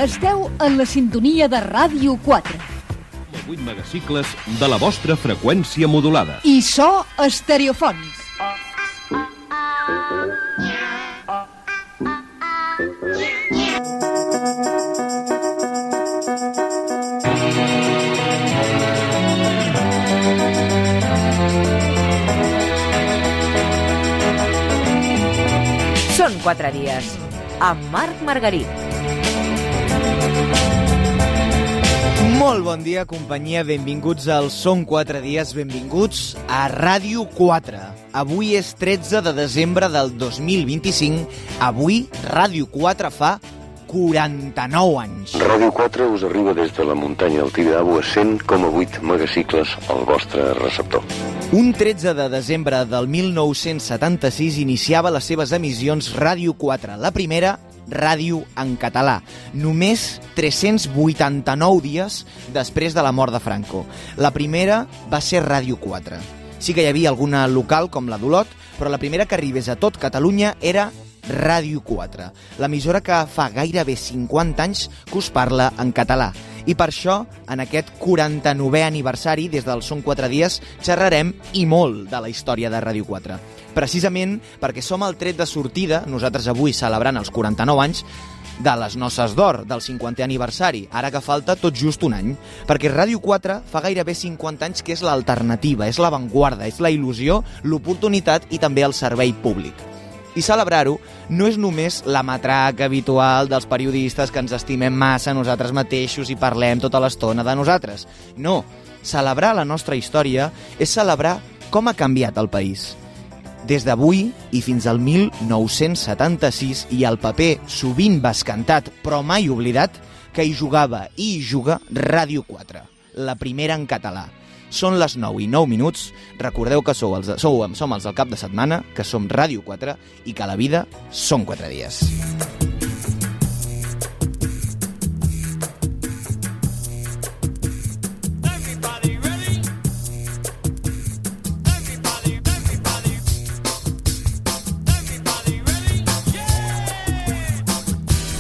Esteu en la sintonia de Ràdio 4. 8 megacicles de la vostra freqüència modulada. I so estereofònic. Són 4 dies, amb Marc Margarit. Molt bon dia, companyia, benvinguts al Són 4 dies, benvinguts a Ràdio 4. Avui és 13 de desembre del 2025, avui Ràdio 4 fa 49 anys. Ràdio 4 us arriba des de la muntanya del Tibidabo a 100,8 megacicles al vostre receptor. Un 13 de desembre del 1976 iniciava les seves emissions Ràdio 4, la primera ràdio en català, només 389 dies després de la mort de Franco. La primera va ser Ràdio 4. Sí que hi havia alguna local com la d'Olot, però la primera que arribés a tot Catalunya era Ràdio 4, l'emissora que fa gairebé 50 anys que us parla en català. I per això, en aquest 49è aniversari, des del Són 4 dies, xerrarem i molt de la història de Ràdio 4. Precisament perquè som el tret de sortida, nosaltres avui celebrant els 49 anys, de les noces d'or, del 50è aniversari, ara que falta tot just un any, perquè Ràdio 4 fa gairebé 50 anys que és l'alternativa, és l'avantguarda, és la il·lusió, l'oportunitat i també el servei públic. I celebrar-ho no és només la matraca habitual dels periodistes que ens estimem massa nosaltres mateixos i parlem tota l'estona de nosaltres. No, celebrar la nostra història és celebrar com ha canviat el país. Des d'avui i fins al 1976, i el paper sovint bescantat però mai oblidat, que hi jugava i hi juga Ràdio 4, la primera en català. Són les 9:09. Recordeu que som els del cap de setmana, que som Ràdio 4 i que la vida són 4 dies.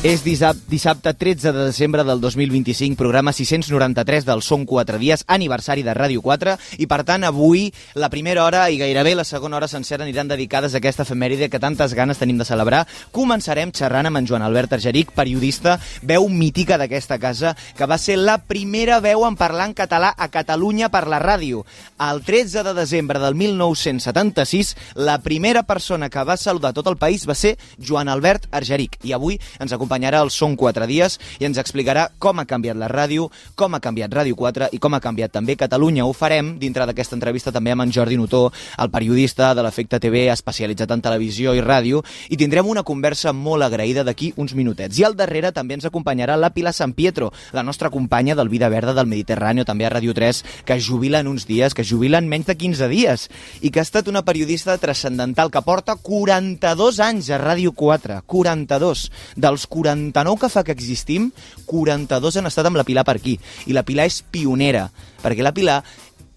És dissabte 13 de desembre del 2025, programa 693 del Són 4 dies, aniversari de Ràdio 4, i per tant avui la primera hora i gairebé la segona hora sencera aniran dedicades a aquesta efemèride que tantes ganes tenim de celebrar. Començarem xerrant amb en Joan Albert Argerich, periodista, veu mítica d'aquesta casa, que va ser la primera veu en parlar en català a Catalunya per la ràdio. El 13 de desembre del 1976, la primera persona que va saludar tot el país va ser Joan Albert Argerich, i avui ens acompanyarà el Són 4 dies i ens explicarà com ha canviat la ràdio, com ha canviat Ràdio 4 i com ha canviat també Catalunya. Ho farem dintre d'aquesta entrevista també amb en Jordi Notó, el periodista de l'Efecte TV especialitzat en televisió i ràdio, i tindrem una conversa molt agraïda d'aquí uns minutets. I al darrere també ens acompanyarà la Pilar San Pietro, la nostra companya del Vida Verda del Mediterrani, també a Ràdio 3, que es jubila en uns dies, que es jubila en menys de 15 dies, i que ha estat una periodista transcendental que porta 42 anys a Ràdio 4, 42. Dels 49 que fa que existim, 42 han estat amb la Pilar per aquí. I la Pilar és pionera, perquè la Pilar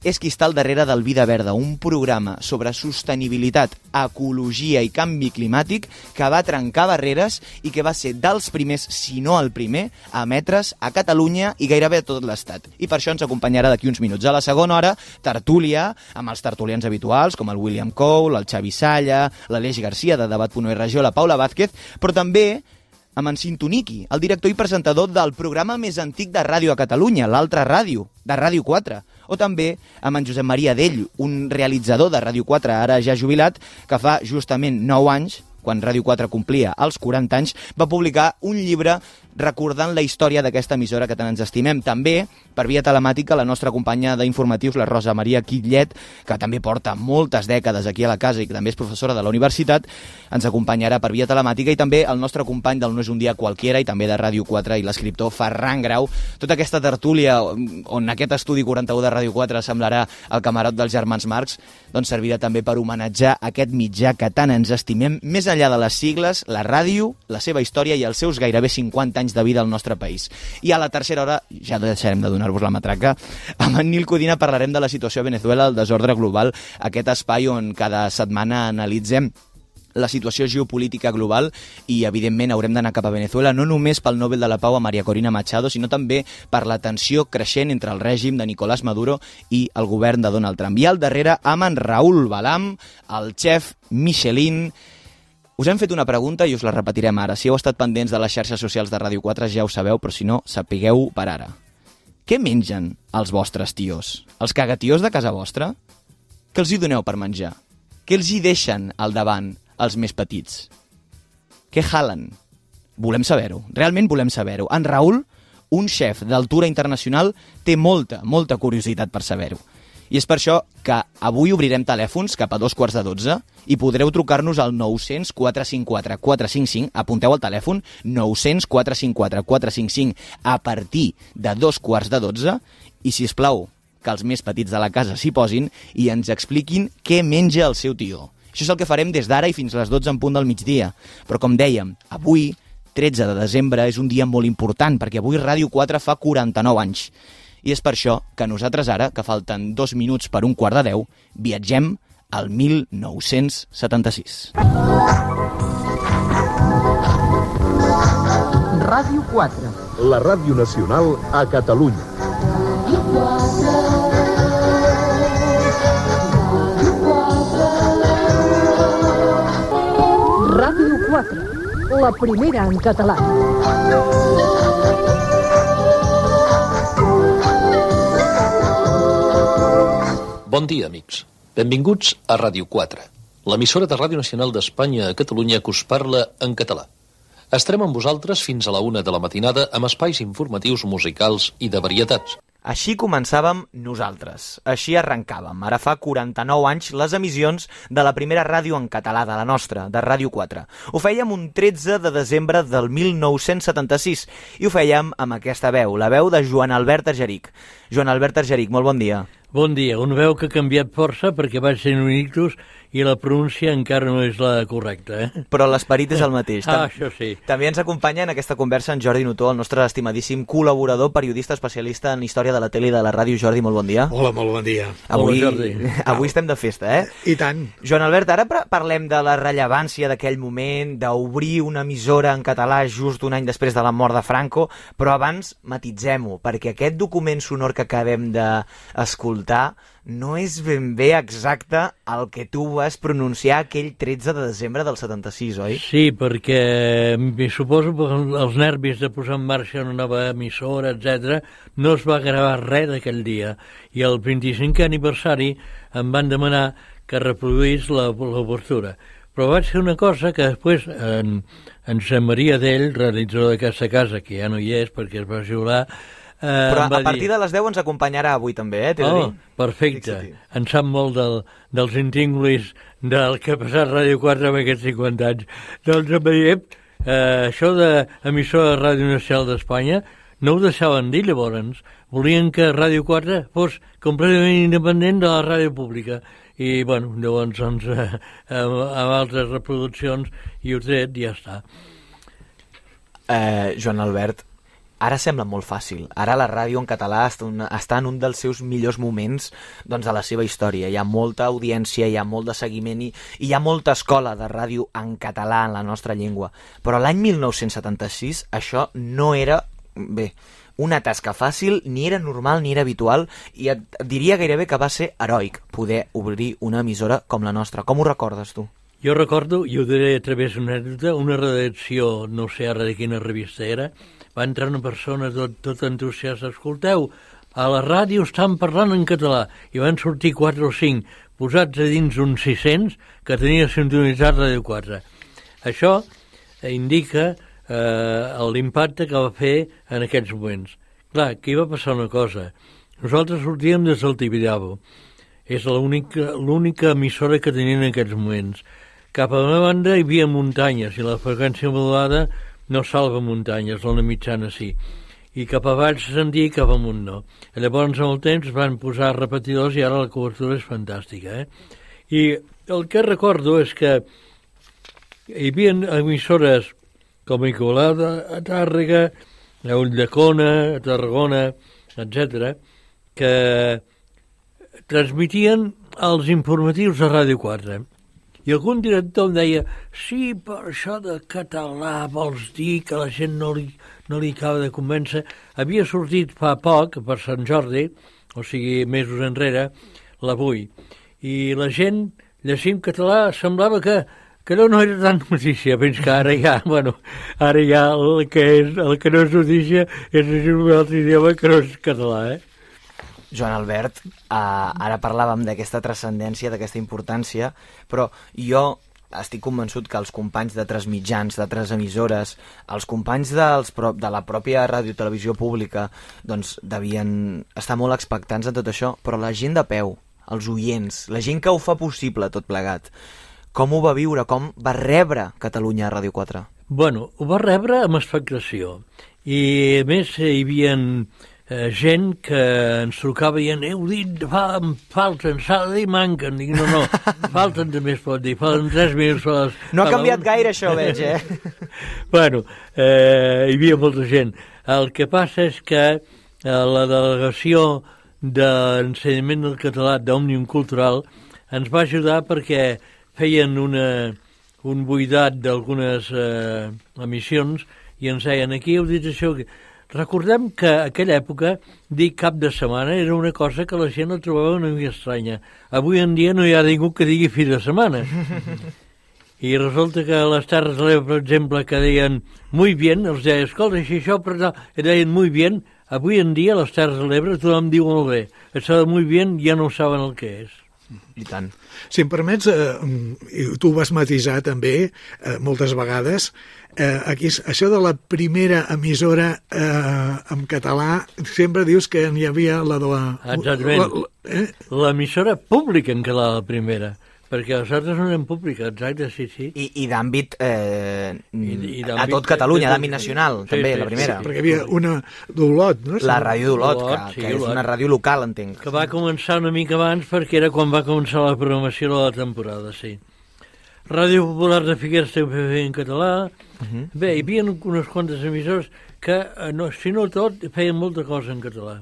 és qui està al darrere del Vida Verda, un programa sobre sostenibilitat, ecologia i canvi climàtic que va trencar barreres i que va ser dels primers, si no el primer, a emetre's a Catalunya i gairebé a tot l'Estat. I per això ens acompanyarà d'aquí uns minuts. A la segona hora, tertúlia, amb els tertulians habituals, com el William Cole, el Xavi Salla, l'Aleix Garcia de Debat.regió, la Paula Vázquez, però també amb en Sintoniki, el director i presentador del programa més antic de ràdio a Catalunya, l'Altra Ràdio, de Ràdio 4. O també amb en Josep Maria Dell, un realitzador de Ràdio 4, ara ja jubilat, que fa justament 9 anys, quan Ràdio 4 complia els 40 anys, va publicar un llibre recordant la història d'aquesta emissora que tant ens estimem. També, per via telemàtica, la nostra companya d'informatius, la Rosa Maria Quillet, que també porta moltes dècades aquí a la casa i que també és professora de la universitat, ens acompanyarà per via telemàtica, i també el nostre company del No és un dia qualquiera i també de Ràdio 4 i l'escriptor Ferran Grau. Tota aquesta tertúlia on aquest estudi 41 de Ràdio 4 semblarà el camarot dels germans Marx, doncs servirà també per homenatjar aquest mitjà que tant ens estimem, més enllà de les sigles, la ràdio, la seva història i els seus gairebé 50 anys de vida al nostre país. I a la tercera hora, ja deixarem de donar-vos la matraca, amb en Nil Codina parlarem de la situació a Venezuela, el desordre global, aquest espai on cada setmana analitzem la situació geopolítica global i, evidentment, haurem d'anar cap a Venezuela, no només pel Nobel de la Pau a María Corina Machado, sinó també per la tensió creixent entre el règim de Nicolás Maduro i el govern de Donald Trump. I al darrere, amb en Raül Balam, el xef Michelin. Us hem fet una pregunta i us la repetirem ara. Si heu estat pendents de les xarxes socials de Ràdio 4 ja ho sabeu, però si no, sapigueu per ara. Què mengen els vostres tios? Els cagatios de casa vostra? Què els hi doneu per menjar? Què els hi deixen al davant els més petits? Què jalen? Volem saber-ho, realment volem saber-ho. En Raül, un xef d'altura internacional, té molta curiositat per saber-ho. I és per això que avui obrirem telèfons cap a 11:45 i podreu trucar-nos al 900 454 455, apunteu el telèfon, 900 454 455 a partir de 11:45 i, sisplau, que els més petits de la casa s'hi posin i ens expliquin què menja el seu tio. Això és el que farem des d'ara i fins a les 12 en punt del migdia. Però, com dèiem, avui, 13 de desembre, és un dia molt important, perquè avui Ràdio 4 fa 49 anys. I és per això que nosaltres ara, que falten 2 minuts per 11:45, viatgem al 1976. Ràdio 4. La ràdio nacional a Catalunya. Ràdio 4, la primera en català. Bon dia, amics. Benvinguts a Ràdio 4, l'emissora de Ràdio Nacional d'Espanya a Catalunya que us parla en català. Estarem amb vosaltres fins a la 1 de la matinada amb espais informatius musicals i de varietats. Així començàvem nosaltres, així arrencàvem. Ara fa 49 anys les emissions de la primera ràdio en català de la nostra, de Ràdio 4. Ho fèiem un 13 de desembre del 1976 i ho fèiem amb aquesta veu, la veu de Joan Albert Argerich. Joan Albert Argerich, molt bon dia. Bon dia, una veu que ha canviat força perquè vaig ser un ictus i la pronúncia encara no és la correcta, eh? Però l'esperit és el mateix. Això sí. També ens acompanya en aquesta conversa en Jordi Notó, el nostre estimadíssim col·laborador, periodista especialista en història de la tele i de la ràdio. Jordi, molt bon dia. Hola, molt bon dia. Avui, Hola, Jordi. Avui estem de festa, eh? I tant. Joan Albert, ara parlem de la rellevància d'aquell moment, d'obrir una emissora en català just un any després de la mort de Franco, però abans matitzem-ho, perquè aquest document sonor que acabem d'escoltar no és ben bé exacte el que tu vas pronunciar aquell 13 de desembre del 76, oi? Sí, perquè suposo que els nervis de posar en marxa una nova emissora, etc, no es va gravar res d'aquell dia. I el 25è aniversari em van demanar que reproduís l'obertura. Però vaig fer una cosa que després en Sant Maria d'ell, realitzador d'aquesta casa, que ja no hi és perquè es va jubilar, però a partir de les 10 ens acompanyarà avui també, eh? Perfecte. En sap molt dels intríngulis del que ha passat Ràdio 4 amb aquests 50 anys. Doncs em veiem, això d'emissora de Ràdio Nacional d'Espanya no ho deixaven dir llavors. Volien que Ràdio 4 fos completament independent de la ràdio pública. I, bueno, llavors, amb altres reproduccions i ho tret, ja està. Joan Albert, ara sembla molt fàcil. Ara la ràdio en català està en un dels seus millors moments de la seva història. Hi ha molta audiència, hi ha molt de seguiment i hi ha molta escola de ràdio en català en la nostra llengua. Però l'any 1976 això no era, una tasca fàcil, ni era normal ni era habitual i et diria gairebé que va ser heroic poder obrir una emissora com la nostra. Com ho recordes tu? Jo recordo, i ho diré a través d'una anècdota, una redacció, no sé ara de quina revista era, va entrar una persona tot entusiasta, escolteu, a la ràdio estan parlant en català, i van sortir 4 o 5 posats a dins uns 600 que tenia sintonitzat Ràdio 4. Això indica l'impacte que va fer en aquests moments. Clar, aquí va passar una cosa. Nosaltres sortíem des del Tibidabo. És l'única emissora que tenien en aquests moments. Cap a la banda hi havia muntanyes i la freqüència modulada no salva muntanyes, la mitjana sí. I cap avall se sentia i cap amunt no. I llavors amb el temps van posar repetidors i ara la cobertura és fantàstica. I el que recordo és que hi havia emissores com Igualada, a Tàrrega, a Ulldecona, a Tarragona, etc., que transmitien els informatius de Ràdio 4. I algun director em deia, sí, per això de català vols dir que la gent no li acaba de convèncer. Havia sortit fa poc, per Sant Jordi, o sigui, mesos enrere, l'Avui. I la gent, llegint català, semblava que no era tan notícia, fins que ara ja el que no és notícia és llegir un altre idioma que no és català, Joan Albert, ara parlàvem d'aquesta transcendència, d'aquesta importància, però jo estic convençut que els companys d'altres mitjans, d'altres emissores, els companys de la pròpia ràdio i televisió pública, doncs devien estar molt expectants en tot això, però la gent de peu, els oients, la gent que ho fa possible tot plegat, com ho va viure, com va rebre Catalunya a Ràdio 4? Bueno, ho va rebre amb expectació. I a més hi havia gent que ens trucava dient heu dit, falten, s'ha de dir manquen. Dic, no, falten també es pot dir, falten 3 minuts. No ha canviat gaire això, veig, Bueno, hi havia molta gent. El que passa és que la delegació d'ensenyament del català d'Òmnium Cultural ens va ajudar perquè feien un buidat d'algunes emissions i ens deien, aquí heu dit això. Recordem que a aquella època dir cap de setmana era una cosa que la gent la trobava una mica estranya. Avui en dia no hi ha ningú que digui fi de setmana. I resulta que a les Terres de l'Ebre, per exemple, que deien muy bien, els deia, escolta, si això per tal, i deien muy bien, avui en dia a les Terres de l'Ebre tothom diu molt bé. Això de muy bien ja no saben el que és. I tant. Si em permets, tu ho vas matisar també moltes vegades, aquí, això de la primera emissora en català, sempre dius que n'hi havia la de la... Exactament. L'emissora pública en català, la primera, perquè les altres no eren públiques, exacte, sí. I d'àmbit a tot Catalunya, d'àmbit nacional, també, la primera. Sí, perquè hi havia una d'Olot, no? La ràdio d'Olot, que és una ràdio local, entenc. Que va començar una mica abans perquè era quan va començar la programació de la temporada, sí. Ràdio Popular de Figueres també feia en català. Bé, hi havia unes quantes emissores que, si no tot, feien molta cosa en català.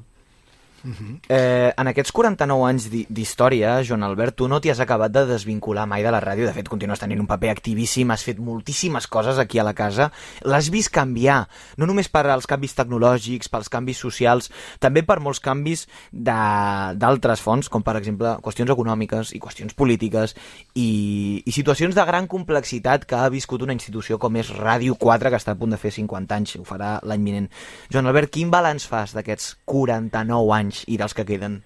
En aquests 49 anys d'història, Joan Albert, tu no t'hi has acabat de desvincular mai de la ràdio. De fet, continues tenint un paper activíssim, has fet moltíssimes coses aquí a la casa. L'has vist canviar, no només per als canvis tecnològics, pels canvis socials, també per molts canvis d'altres fonts, com per exemple qüestions econòmiques i qüestions polítiques i situacions de gran complexitat que ha viscut una institució com és Ràdio 4, que està a punt de fer 50 anys, ho farà l'any vinent. Joan Albert, quin balanç fas d'aquests 49 anys i dels que queden?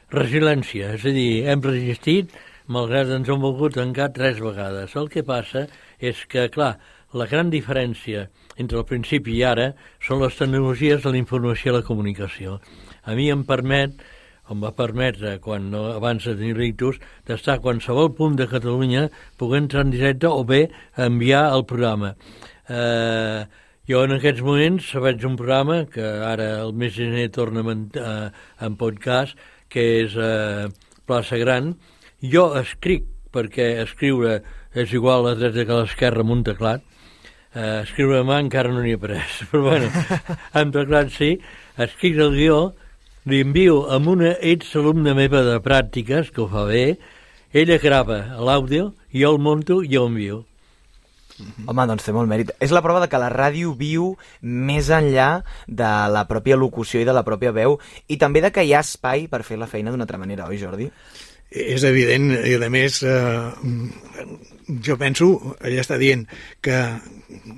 Resiliència, és a dir, hem resistit, malgrat ens hem volgut tancar 3 vegades. El que passa és que, clar, la gran diferència entre el principi i ara són les tecnologies de la informació i la comunicació. A mi em va permetre, abans de tenir l'ictus, d'estar a qualsevol punt de Catalunya, poder entrar en directe o bé enviar el programa. Jo en aquests moments veig un programa que ara el mes de gener torna en podcast, que és Plaça Gran. Jo escric, perquè escriure és igual a la dreta que a l'esquerra amb un teclat. Escriure a mà encara no n'hi he après, però bueno, amb teclat sí. Escric el guió, li envio amb una exalumna meva de pràctiques, que ho fa bé, ella grava l'àudio, jo el monto i jo envio. Home, doncs té molt mèrit. És la prova de que la ràdio viu més enllà de la pròpia locució i de la pròpia veu, i també de que hi ha espai per fer la feina d'una altra manera, oi, Jordi? És evident, i a més jo penso, ella està dient que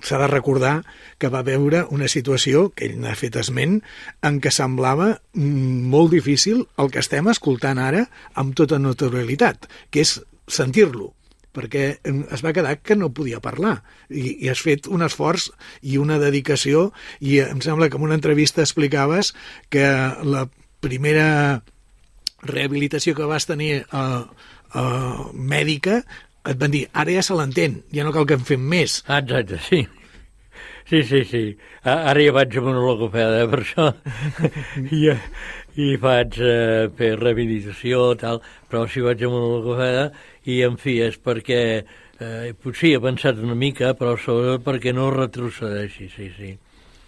s'ha de recordar que va veure una situació, que ell n'ha fet esment, en què semblava molt difícil el que estem escoltant ara amb tota naturalitat, que és sentir-lo, perquè es va quedar que no podia parlar i has fet un esforç i una dedicació, i em sembla que en una entrevista explicaves que la primera rehabilitació que vas tenir mèdica et van dir, ara ja se l'entén, ja no cal que en fem més. Exacte, sí. Sí. Ara ja vaig amb una logopeda, per això. I vaig fer rehabilitació, tal, però sí vaig amb una logopeda i, en fi, és perquè potser he pensat una mica, però sobretot perquè no retrocedeixi, sí.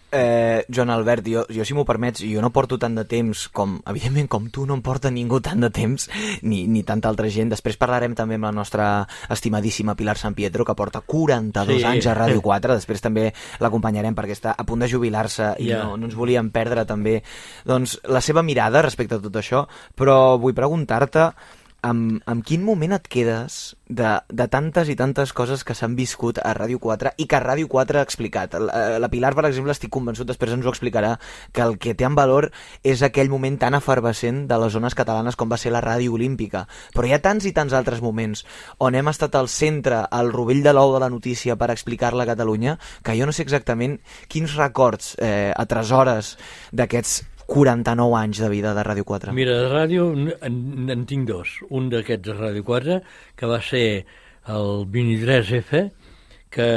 Joan Albert, jo si m'ho permets, jo no porto tant de temps evidentment com tu no em porta ningú tant de temps, ni tanta altra gent. Després parlarem també amb la nostra estimadíssima Pilar San Pietro, que porta 42 anys a Ràdio 4, després també l'acompanyarem perquè està a punt de jubilar-se i no ens volíem perdre també doncs, la seva mirada respecte a tot això, però vull preguntar-te en quin moment et quedes de tantes i tantes coses que s'han viscut a Ràdio 4 i que Ràdio 4 ha explicat. La Pilar, per exemple, estic convençut, després ens ho explicarà, que el que té en valor és aquell moment tan efervescent de les zones catalanes com va ser la Ràdio Olímpica. Però hi ha tants i tants altres moments on hem estat al centre, al rovell de l'ou de la notícia per explicar-la a Catalunya, que jo no sé exactament quins records atresores d'aquests 49 anys de vida de Ràdio 4. Mira, de ràdio en tinc dos. Un d'aquests de Ràdio 4, que va ser el 23F, que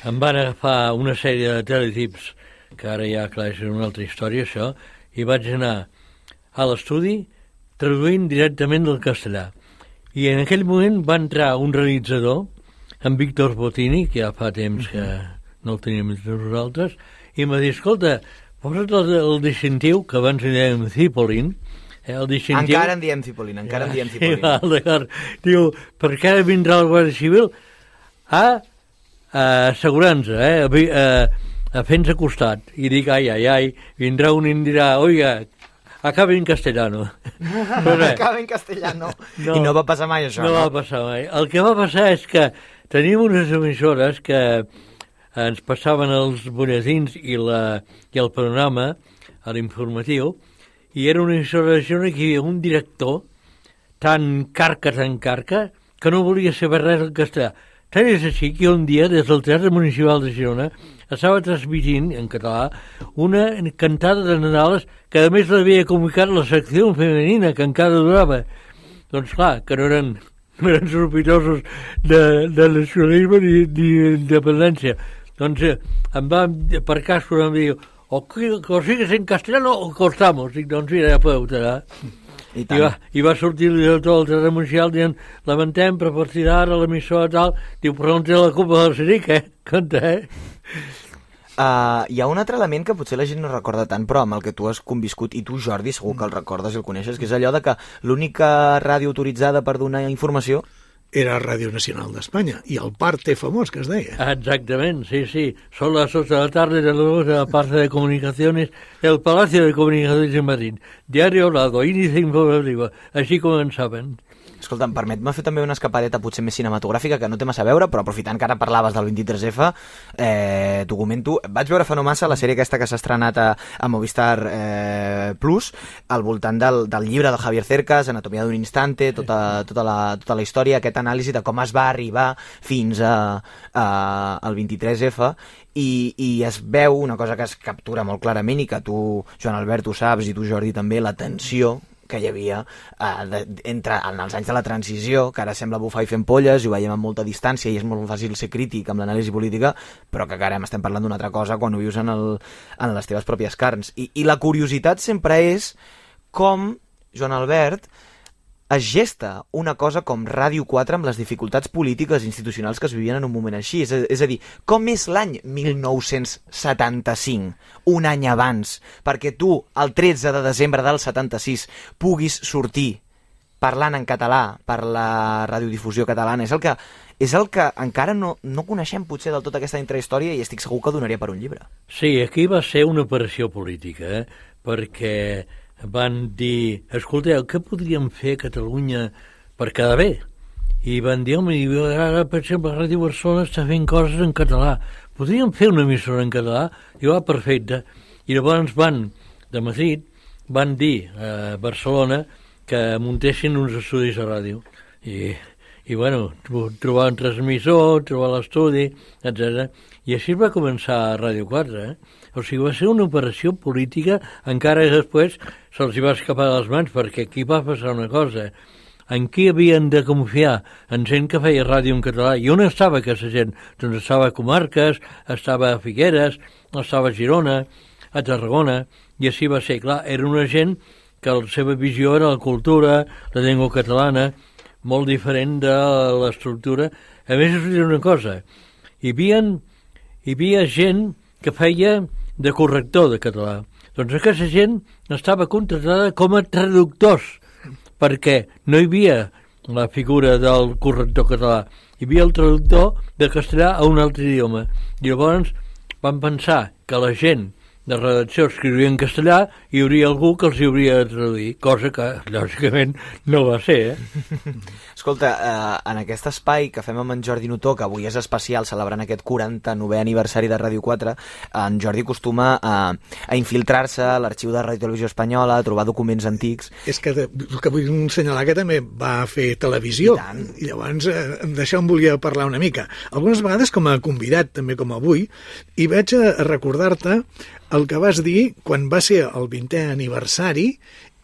em van agafar una sèrie de teletips, que ara ja, clar, és una altra història, això, i vaig anar a l'estudi traduint directament del castellà. I en aquell moment va entrar un realitzador, en Víctor Botini, que ja fa temps que no el teníem entre nosaltres, i em va dir, escolta, posa't el distintiu, que abans li dèiem Cipolin, el distintiu... Encara en diem Cipolin, encara en diem Cipolin. D'acord. Diu, perquè ara vindrà el Guàrdia Civil a assegurar-nos, a fer-nos costat. I dic, ai, vindrà un i em dirà, oiga, acabe en castellano. Acabe en castellano. No. I no va passar mai això, no? No va passar mai. El que va passar és que tenim unes emissores que ens passaven els butlletins i el panorama, l'informatiu, i era una emissora de Girona que hi havia un director tan carca, que no volia saber res en castellà. Tant és així que un dia, des del Teatre Municipal de Girona, estava transmitint, en català, una cantada de Nadales que a més l'havia comunicat la secció femenina, que encara durava. Doncs clar, que no eren sospitosos de nacionalisme ni d'independència. Doncs em va, per cas, em diu, o sigues en castellano o cortamos. Dic, doncs mira, ja podeu tallar. I va sortir el director del Teatre Municipal dient, lamentem, però a partir d'ara l'emissora tal, diu, però no té la culpa del Siric, Compte, hi ha un altre element que potser la gent no recorda tant, però amb el que tu has conviscut, i tu, Jordi, segur que el recordes i el coneixes, que és allò de que l'única ràdio autoritzada per donar informació era Radio Nacional d'Espanya, i el parte famós que es deia. Exactament, sí. Son las 8 de la tarde de la parte de comunicaciones, el Palacio de Comunicaciones de Madrid. Diario hablado, índice informativo. Així començaven. Escolta, permet-me fer també una escapadeta potser més cinematogràfica que no té massa a veure, però aprofitant que ara parlaves del 23F, t'ho comento. Vaig veure fa no massa la sèrie aquesta que s'ha estrenat a Movistar Plus, al voltant del llibre de Javier Cercas, Anatomia d'un instante, tota la història, aquest anàlisi de com es va arribar fins al 23F, i es veu una cosa que es captura molt clarament i que tu, Joan Albert, ho saps, i tu, Jordi, també, la tensió que hi havia entre els anys de la transició, que ara sembla bufar i fent polles, i ho veiem amb molta distància i és molt fàcil ser crític amb l'anàlisi política, però que ara estem parlant d'una altra cosa quan ho vius en les teves pròpies carns. I la curiositat sempre és com, Joan Albert, es gesta una cosa com Ràdio 4 amb les dificultats polítiques i institucionals que es vivien en un moment així. És a dir, com és l'any 1975, un any abans, perquè tu, el 13 de desembre del 76, puguis sortir parlant en català per la radiodifusió catalana? És el que encara no coneixem potser del tot aquesta intrahistòria, i estic segur que donaria per un llibre. Sí, aquí va ser una operació política, perquè van dir, escolteu, què podríem fer a Catalunya per quedar bé? I van dir, home, ara, per exemple, Ràdio Barcelona està fent coses en català. Podríem fer una emissora en català? I va, perfecte. I llavors de Madrid, van dir a Barcelona que muntessin uns estudis de ràdio. I bueno, trobar un transmissor, trobar l'estudi, etc. I així va començar Ràdio 4, O sigui, va ser una operació política, encara després se'ls va escapar de les mans, perquè aquí va passar una cosa. En qui havien de confiar? En gent que feia ràdio en català. I on estava aquesta gent? Doncs estava a Comarques, estava a Figueres, estava a Girona, a Tarragona, i així va ser. Clar, era una gent que la seva visió era la cultura, la llengua catalana, molt diferent de l'estructura. A més, us diré una cosa, hi havia gent que feia de corrector de català. Doncs aquesta gent estava contratada com a traductors, perquè no hi havia la figura del corrector català, hi havia el traductor de castellà a un altre idioma. I llavors van pensar que la gent de redacció escriuria en castellà i hi hauria algú que els hi hauria de traduir, cosa que, lògicament, no va ser, Escolta, en aquest espai que fem amb en Jordi Notó, que avui és especial, celebrant aquest 49è aniversari de Ràdio 4, en Jordi acostuma a infiltrar-se a l'arxiu de Ràdio Televisió Espanyola, a trobar documents antics. És que vull assenyalar que també va fer televisió, i llavors d'això em volia parlar una mica. Algunes vegades com a convidat, també com avui, i vaig a recordar-te el que vas dir quan va ser el 20è aniversari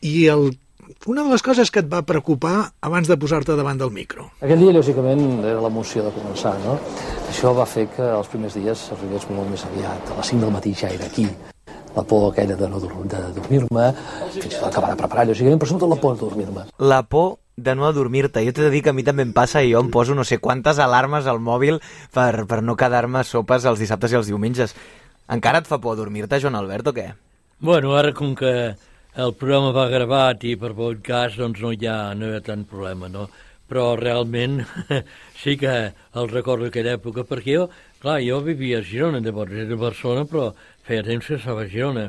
i una de les coses que et va preocupar abans de posar-te davant del micro. Aquell dia, lògicament, era l'emoció de començar, no? Això va fer que els primers dies arribés molt més aviat. A les 5 del matí ja era aquí. La por aquella de no dormir-me, fins i tot acabar de preparar, lògicament, però sobretot la por de dormir-me. La por de no adormir-te. Jo t'he de dir que a mi també em passa i jo em poso no sé quantes alarmes al mòbil per no quedar-me a sopes els dissabtes i els diumenges. Encara et fa por dormir-te, Joan Albert, o què? Bueno, ara com que el programa va gravat i per podcast, doncs no hi ha tant problema, no? Però realment sí que el recordo d'aquella època, perquè jo vivia a Girona, llavors era de Barcelona, però feia temps que estava a Girona.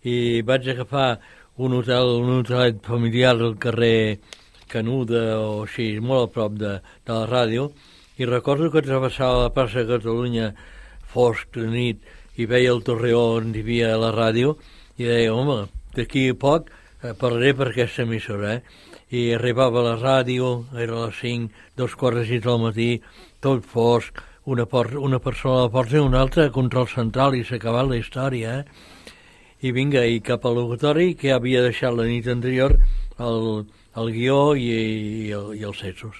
I vaig agafar un hotelet familiar al carrer Canuda o així, molt a prop de la ràdio, i recordo que travessava la plaça de Catalunya fosc de nit i veia el Torreó on hi havia la ràdio i deia, home, d'aquí a poc parlaré per aquesta emissora, I arribava a la ràdio, era a les 5, 2:45 del matí, tot fosc, una persona a la porta i una altra a control central i s'ha acabat la història, I vinga, i cap al locutori que havia deixat la nit anterior el guió i els censos.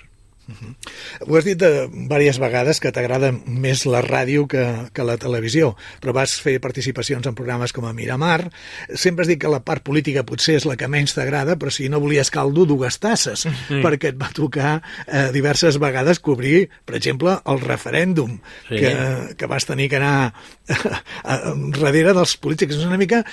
Ho has dit diverses vegades que t'agrada més la ràdio que la televisió, però vas fer participacions en programes com a Miramar. Sempre has dit que la part política potser és la que menys t'agrada, però si no volies caldo, dues tasses, perquè et va tocar diverses vegades cobrir, per exemple, el referèndum, que vas tenir que anar darrere dels polítics. És una mica...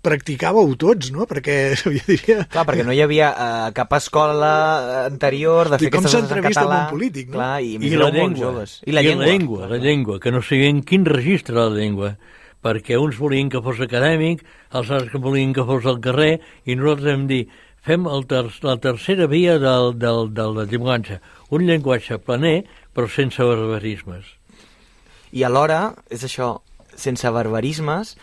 Practicàveu tots, no? Perquè diria... Clar, perquè no hi havia cap escola anterior de fer aquestes entrevista amb un polític, no? Clar, I la llengua, que no sabien quin registre la llengua, perquè uns volien que fos acadèmic, els altres que volien que fos al carrer, i nosaltres hem dit, fem la tercera via de la llenguatge, un llenguatge planer, però sense barbarismes. I alhora, és això, sense barbarismes,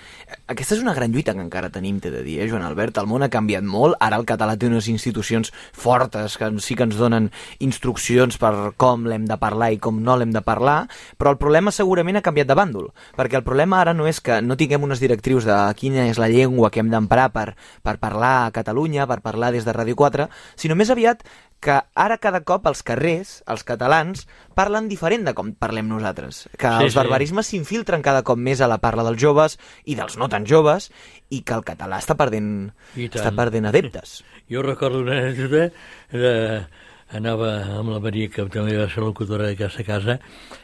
aquesta és una gran lluita que encara tenim, t'he de dir, Joan Albert? El món ha canviat molt, ara el català té unes institucions fortes que sí que ens donen instruccions per com l'hem de parlar i com no l'hem de parlar, però el problema segurament ha canviat de bàndol, perquè el problema ara no és que no tinguem unes directrius de quina és la llengua que hem d'emprar per parlar a Catalunya, per parlar des de Ràdio 4, sinó més aviat que ara cada cop als carrers, els catalans, parlen diferent de com parlem nosaltres. Que els barbarismes s'infiltren cada cop més a la parla dels joves i dels no tan joves, i que el català està perdent adeptes. Jo recordo una anècdota, anava amb la Maria, que també va ser locutora d'aquesta casa,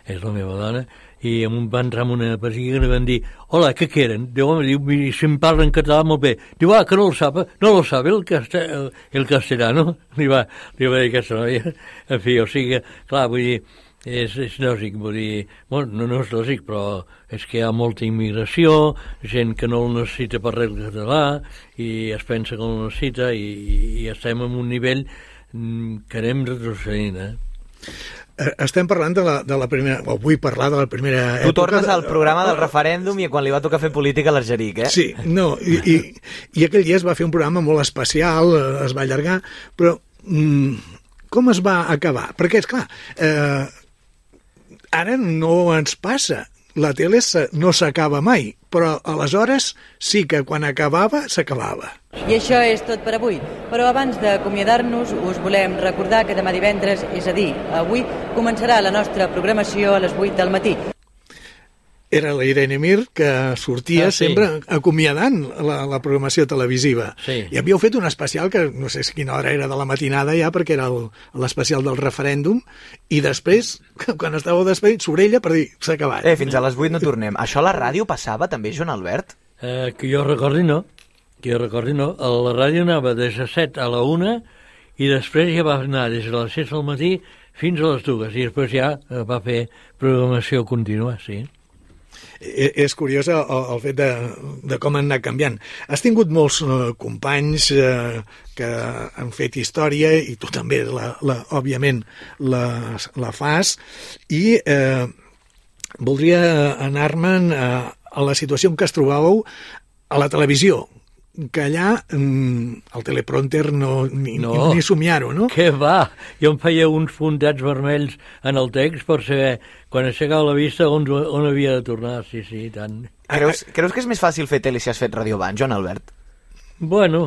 és la meva dona, i va entrar en una pessiga i van dir, hola, què quieren? Diu, home, si em parlen català molt bé. Diu, que no lo sabe el castellano. Li va dir aquesta noia. En fi, o sigui, clar, vull dir, és lògic, vull dir, bueno, no és lògic, però és que hi ha molta immigració, gent que no el necessita per res el català, i es pensa que no el necessita, i estem en un nivell que anem retrocedint, Estem parlant de la primera, o vull parlar de la primera època... Tu tornes al programa del referèndum i quan li va tocar fer política a l'Argeric, Sí, no, i aquell dia es va fer un programa molt especial, es va allargar, però com es va acabar? Perquè, esclar, ara no ens passa, la tele no s'acaba mai, però aleshores sí que quan acabava, s'acabava. I això és tot per avui, però abans d'acomiadar-nos us volem recordar que demà divendres, és a dir, avui, començarà la nostra programació a les 8 del matí. era la Irene Mir, que sortia sempre acomiadant la programació televisiva. Sí. I havíeu fet un especial que no sé si quina hora era de la matinada ja, perquè era l'especial del referèndum, i després, quan estàveu despedint, sobre ella per dir, s'ha acabat. Fins a les 8 no tornem. Això a la ràdio passava també, Joan Albert? Que jo recordi no. A la ràdio anava des de 7 a la 1 i després ja va anar des de les 6 del matí fins a les 2, i després ja va fer programació contínua, sí. És curiós el fet de com han anat canviant. Has tingut molts companys que han fet història, i tu també, òbviament, la fas, i voldria anar-me'n a la situació en què es trobàveu a la televisió, que allà el teleprompter ni somiar-ho, no? Què va? Jo em feia uns puntats vermells en el text per saber, quan aixecava la vista, on havia de tornar. Sí, tant. Creus que és més fàcil fer tele si has fet ràdio abans, Joan Albert? Bueno,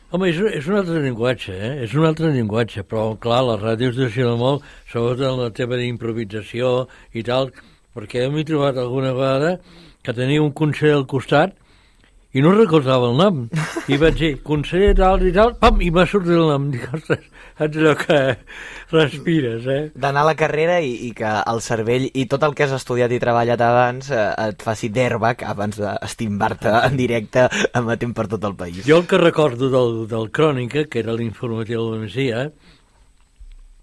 home, és un altre llenguatge, És un altre llenguatge, però, clar, la ràdio es deixa molt, sobretot en la teva d'improvisació i tal, perquè m'he trobat alguna vegada que tenia un conseller al costat i no recordava el nom. I vaig dir, conseller tal i tal, pam, i m'ha sortit el nom. Dic, ostres, saps allò que respires, D'anar a la carrera i que el cervell i tot el que has estudiat i treballat abans et faci d'airbag abans d'estimbar-te en directe emetent per tot el país. Jo el que recordo del Crònica, que era l'informatiu de la Migdia,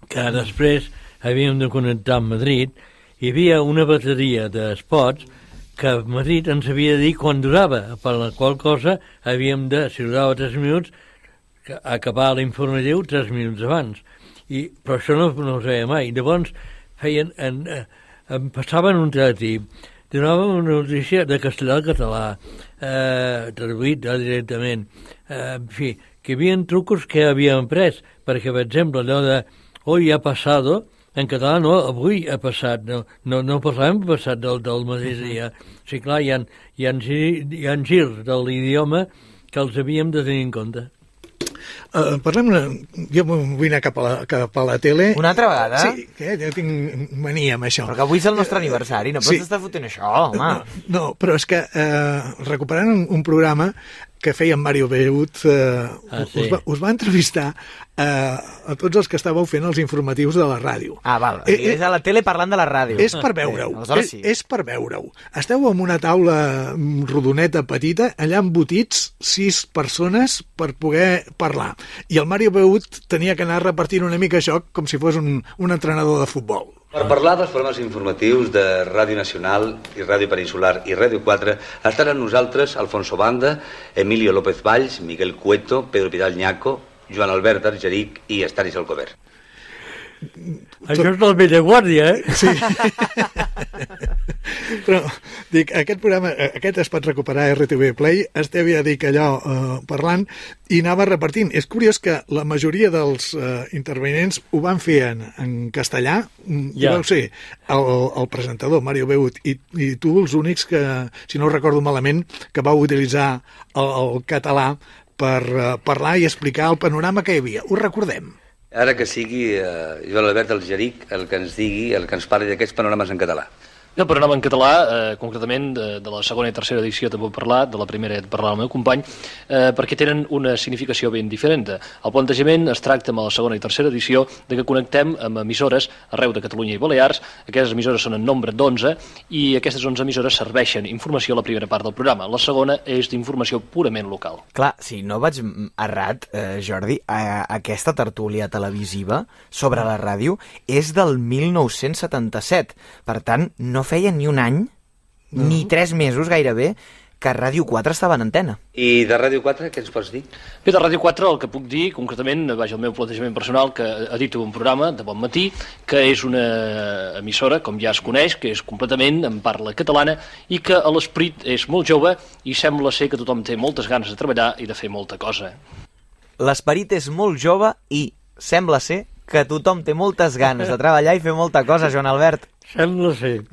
que després havíem de connectar amb Madrid, hi havia una bateria d'espots que Madrid ens havia de dir quan durava, per la qual cosa havíem de, si durava 3 minuts, acabar l'informatiu 3 minuts abans. Però això no ho sabia mai. Llavors em passaven un teletip, donaven una notícia de castellà al català, traduït directament. En fi, que hi havia trucos que havíem pres, perquè, per exemple, allò de hoy ha pasado, en català no, avui ha passat, no parlàvem passat del mateix dia. Sí, clar, hi ha girs de l'idioma que els havíem de tenir en compte. Jo vull anar cap a la tele. Una altra vegada? Sí, jo tinc mania amb això. Però que avui és el nostre aniversari, no pots estar fotent això, home. No, però és que recuperant un programa que feia en Mario Beut, us va entrevistar a tots els que estàveu fent els informatius de la ràdio. Val, és a la tele parlant de la ràdio. És per veure-ho, és per veure-ho. Esteu en una taula rodoneta petita, allà embotits 6 persones per poder parlar. I el Mario Beut tenia que anar repartint una mica això com si fos un entrenador de futbol. Per parlar dels programes informatius de Ràdio Nacional i Ràdio Peninsular i Ràdio 4 estan amb nosaltres Alfonso Banda, Emilio López Valls, Miguel Cueto, Pedro Pidal Ñaco, Joan Albert Argeric i Estanis Alcover. Això és del vella guàrdia, Sí. Però, dic, aquest programa, aquest es pot recuperar a RTV Play, esteu ja dic allò parlant i anava repartint. És curiós que la majoria dels intervenents ho van fer en castellà, i vau ser el presentador, Mario Beut, i tu els únics que, si no ho recordo malament, que vau utilitzar el català per parlar i explicar el panorama que hi havia. Ho recordem. Ara que sigui Joan Albert Argeric el que ens digui, el que ens parli d'aquests panorames en català. El panorama en català, concretament de la segona i tercera edició també he parlat, de la primera he parlat amb el meu company, perquè tenen una significació ben diferent. El plantejament es tracta amb la segona i tercera edició de que connectem amb emissores arreu de Catalunya i Balears. Aquestes emissores són en nombre d'11 i aquestes 11 emissores serveixen informació a la primera part del programa. La segona és d'informació purament local. Clar, si no vaig errat, Jordi, aquesta tertúlia televisiva sobre la ràdio és del 1977. Per tant, no feia ni un any, ni 3 mesos gairebé, que Ràdio 4 estava en antena. I de Ràdio 4 què ens pots dir? Bé, de Ràdio 4 el que puc dir, concretament, vaja, el meu plantejament personal, que edito un programa de bon matí, que és una emissora, com ja es coneix, que és completament en parla catalana i que l'esperit és molt jove i sembla ser que tothom té moltes ganes de treballar i de fer molta cosa. L'esperit és molt jove i sembla ser que tothom té moltes ganes de treballar i fer molta cosa, Joan Albert. Sembla ser.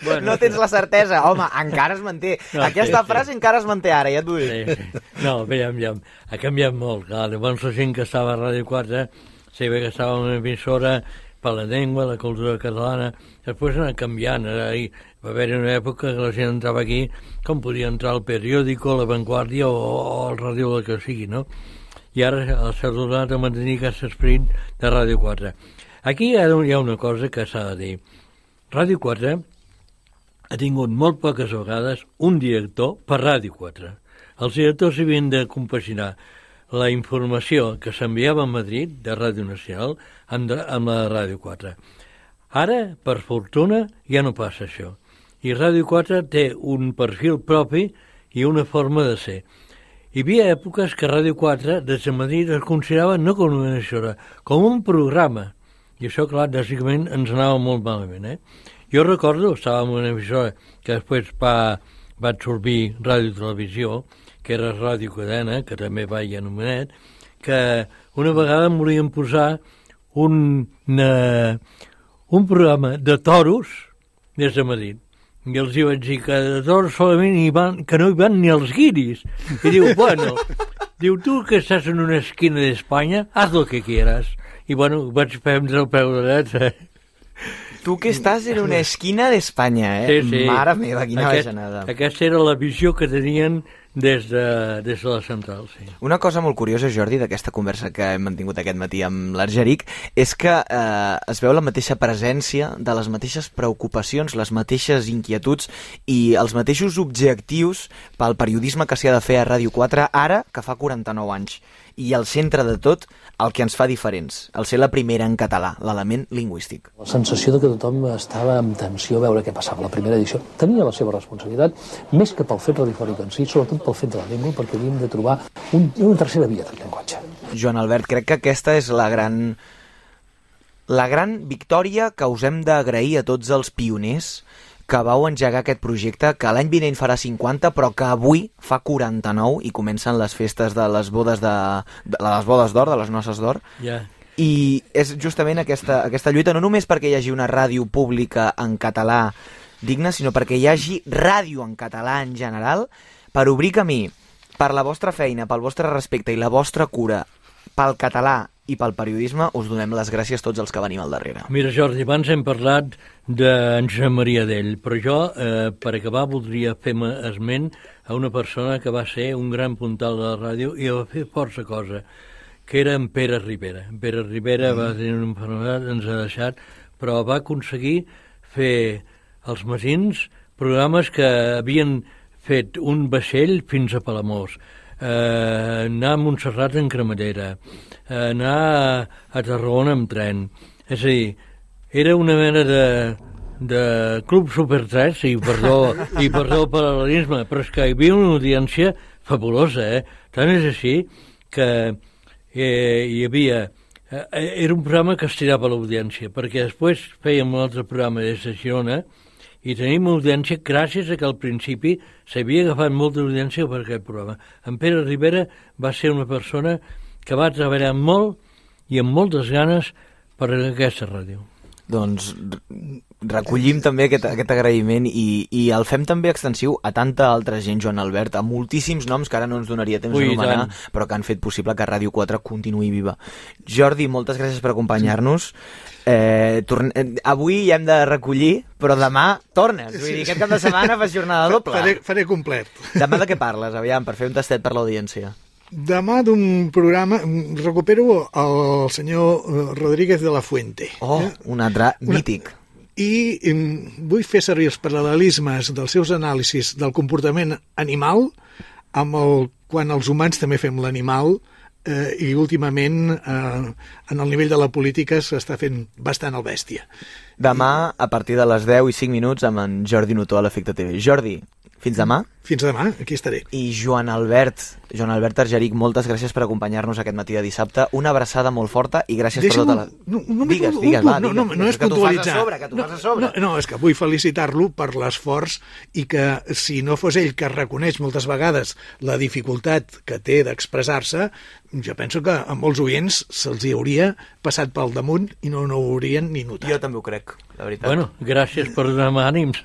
Bueno, no tens la certesa. Home, encara es manté. No, aquesta frase encara es manté ara, ja t'ho dic. Sí. No, bé, ha canviat molt. Clar, llavors la gent que estava a Ràdio 4 sabia que estava en una emissora per la llengua, la cultura catalana. després ha anat canviant. Va haver una època que la gent entrava aquí com podia entrar al periòdico, La Vanguardia o al ràdio, el que sigui, no? I ara s'ha tornat a mantenir aquest esperit de Ràdio 4. Aquí hi ha una cosa que s'ha de dir. Ràdio 4 ha tingut molt poques vegades un director per Ràdio 4. Els directors havien de compaginar la informació que s'enviava a Madrid, de Ràdio Nacional, amb la Ràdio 4. Ara, per fortuna, ja no passa això. I Ràdio 4 té un perfil propi i una forma de ser. Hi havia èpoques que Ràdio 4, des de Madrid, es considerava no com una emissora, com un programa. I això, clar, bàsicament ens anava molt malament, Jo recordo, estava en una emissora que després va absorbir Ràdio Televisió, que era Ràdio Cadena, que també va i anomenat, que una vegada em volien posar un programa de toros des de Madrid. I els hi vaig dir que de toros solament que no hi van ni els guiris. I diu, bueno, tu que estàs en una esquina d'Espanya, haz lo que quieras. I bueno, vaig prendre el peu de dret. Tu que estàs en una esquina d'Espanya, Sí. Mare meva, quina bajanada. Aquesta era la visió que tenien des de la central, sí. Una cosa molt curiosa, Jordi, d'aquesta conversa que hem mantingut aquest matí amb l'Argeric, és que es veu la mateixa presència de les mateixes preocupacions, les mateixes inquietuds i els mateixos objectius pel periodisme que s'hi ha de fer a Ràdio 4 ara que fa 49 anys. I al centre de tot, el que ens fa diferents, el ser la primera en català, l'element lingüístic. La sensació de que tothom estava amb tensió a veure què passava. La primera edició tenia la seva responsabilitat, més que pel fet radiofònic en si, sobretot pel fet de la llengua, perquè havíem de trobar una tercera via del llenguatge. Joan Albert, crec que aquesta és la gran victòria que us hem d'agrair a tots els pioners que vau engegar aquest projecte, que l'any vinent farà 50, però que avui fa 49 i comencen les festes de les bodes d'or, de les noces d'or. Yeah. I és justament aquesta lluita, no només perquè hi hagi una ràdio pública en català digna, sinó perquè hi hagi ràdio en català en general, per obrir camí per la vostra feina, pel vostre respecte i la vostra cura pel català i pel periodisme. Us donem les gràcies tots els que venim al darrere. Mira, Jordi, abans hem parlat d'en Josep Maria Dell, però jo, per acabar, voldria fer esment a una persona que va ser un gran puntal de la ràdio i va fer força cosa, que era en Pere Ribera. En Pere Ribera va tenir una malaltia, ens ha deixat, però va aconseguir fer als matins programes que havien fet un vaixell fins a Palamós, anar a Montserrat en cremallera, anar a Tarragona amb tren. És a dir, era una mena de club Super 3, i perdó el paral·lelisme, però és que hi havia una audiència fabulosa, Tant és així que hi havia... Era un programa que estirava l'audiència, perquè després fèiem un altre programa des de Girona i tenim audiència gràcies a que al principi s'havia agafat molta audiència per aquest programa. En Pere Ribera va ser una persona que va treballar molt i amb moltes ganes per aquesta ràdio. Doncs recollim també aquest agraïment i el fem també extensiu a tanta altra gent, Joan Albert, a moltíssims noms que ara no ens donaria temps d'anomenar, però que han fet possible que Ràdio 4 continuï viva. Jordi, moltes gràcies per acompanyar-nos. Avui ja hem de recollir, però demà tornes. Vull dir, aquest cap de setmana fas jornada doble. Faré complet. Demà de què parles, aviam, per fer un tastet per l'audiència? Demà d'un programa recupero el senyor Rodríguez de la Fuente. Un altre mític. I vull fer servir els paral·lelismes dels seus anàlisis del comportament animal quan els humans també fem l'animal, i últimament en el nivell de la política s'està fent bastant el bèstia. Demà a partir de les 10 i 5 minuts amb en Jordi Notó a l'Efecte TV. Jordi, fins demà. Fins demà, aquí estaré. I Joan Albert Argeric, moltes gràcies per acompanyar-nos aquest matí de dissabte. Una abraçada molt forta i gràcies per tota la... Digues, va. No és puntualitzar. Que tu fas a sobre. No, és que vull felicitar-lo per l'esforç i que si no fos ell que reconeix moltes vegades la dificultat que té d'expressar-se, jo penso que a molts oients se'ls hi hauria passat pel damunt i no ho haurien ni notat. Jo també ho crec, la veritat. Bueno, gràcies per donar-me ànims.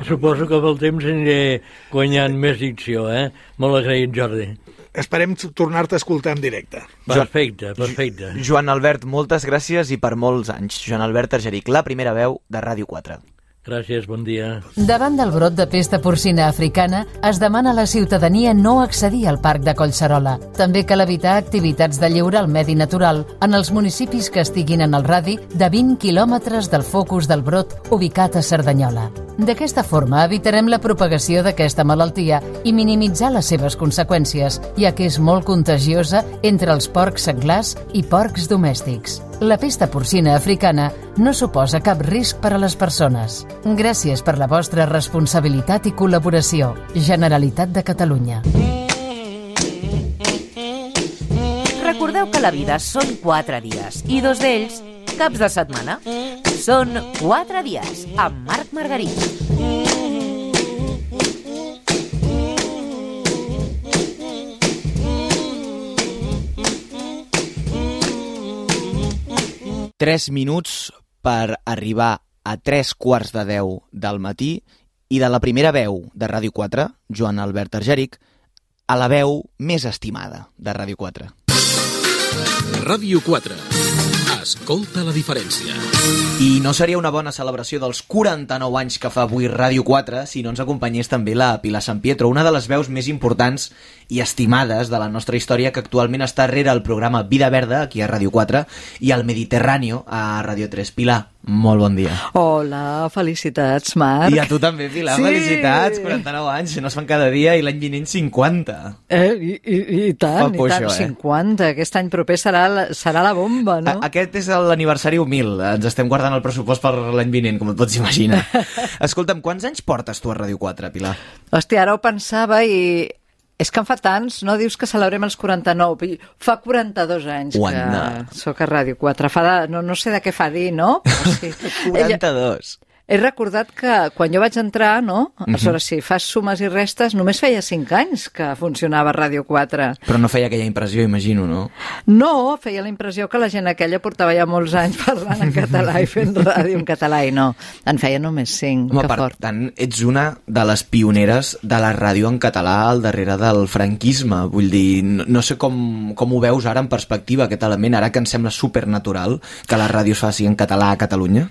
Suposo que amb el temps aniré guanyant més dicció, Molt agraït, Jordi. tarda. Esperem tornar-te a escoltar en directe. Perfecte. Joan Albert, moltes gràcies i per molts anys. Joan Albert Argeric, la primera veu de Ràdio 4. Gràcies, bon dia. Davant del brot de pesta porcina africana, es demana a la ciutadania no accedir al Parc de Collserola. També cal evitar activitats de lleure al medi natural en els municipis que estiguin en el radi de 20 quilòmetres del focus del brot ubicat a Cerdanyola. D'aquesta forma evitarem la propagació d'aquesta malaltia i minimitzar les seves conseqüències, ja que és molt contagiosa entre els porcs senglars i porcs domèstics. La pesta porcina africana no suposa cap risc per a les persones. Gràcies per la vostra responsabilitat i col·laboració. Generalitat de Catalunya. Recordeu que la vida són 4 dies i 2 d'ells caps de setmana. Són 4 dies amb Marc Margarit. Tres minuts per arribar a 9:45 del matí i de la primera veu de Ràdio 4, Joan Albert Argeric, a la veu més estimada de Ràdio 4. Ràdio 4. Escolta la diferència. I no seria una bona celebració dels 49 anys que fa avui Ràdio 4 si no ens acompanyés també la Pilar San Pietro, una de les veus més importants i estimades de la nostra història, que actualment està rere el programa Vida Verda, aquí a Ràdio 4, i al Mediterráneo, a Ràdio 3. Pilar, molt bon dia. Hola, felicitats, Marc. I a tu també, Pilar, sí. Felicitats, 49 anys, no es fan cada dia, i l'any vinent 50. I tant, 50. Aquest any proper serà la bomba, no? Aquest és l'aniversari humil, ens estem guardant el pressupost per l'any vinent, com et pots imaginar. Escolta'm, quants anys portes tu a Ràdio 4, Pilar? Hòstia, ara ho pensava i... És que en fa tants, no? Dius que celebrem els 49. Fa 42 anys que soc a Ràdio 4. No sé de què fa dir, no? Però sí. 42. He recordat que quan jo vaig entrar, no? Aleshores, si fas sumes i restes, només feia 5 anys que funcionava Ràdio 4. Però no feia aquella impressió, imagino, no? No, feia la impressió que la gent aquella portava ja molts anys parlant en català i fent ràdio en català, i no. En feia només 5. Home, per tant, ets una de les pioneres de la ràdio en català al darrere del franquisme. Vull dir, no sé com ho veus ara en perspectiva, aquest element, ara que em sembla supernatural que la ràdio es faci en català a Catalunya.